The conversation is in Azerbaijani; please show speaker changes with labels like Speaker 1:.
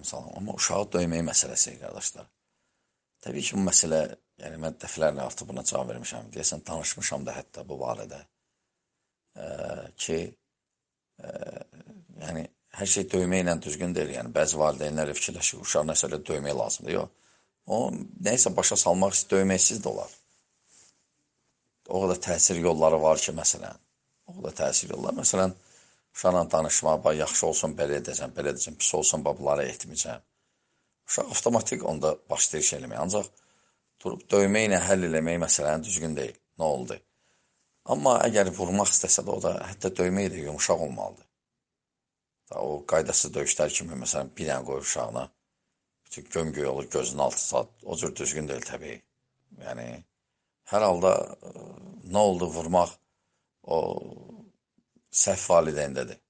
Speaker 1: salam. Amma uşağı döymək məsələsi, qardaşlar. Təbii ki, bu məsələ, yəni mən dəfələrlə artıq buna cavab vermişəm. Deyəsən, danışmışam da hətta bu barədə. Ki, yəni, hər şey döyməklə düzgün deyil. Yəni, bəzi valideynlər fikirləşir, uşaq nəsə elə döymək lazımdır. Yox. O, nəysə başa salmaq istəyir, döyməksiz də olar. O qədər təsir yolları var ki, məsələn. O qədər təsir yolları. Məsələn, uşaqla danışmaq, yaxşı olsun, belə edəcəm, pis olsun, bunları etməyəcəm. Uşaq avtomatik onda başlayır şey eləmək. Ancaq durub döyməklə həll eləmək məsələni düzgün deyil. Nə oldu? Amma əgər vurmaq istəsə də, o da hətta döymək də yumuşaq olmalıdır. O qaydasız döyüşlər kimi, məsələn, bir dənə qoyur uşağına, bütün gömgöy olur, gözünün altı saat, o cür düzgün deyil təbii. Yəni, hər halda nə oldu vurmaq o səhv valideyndədir.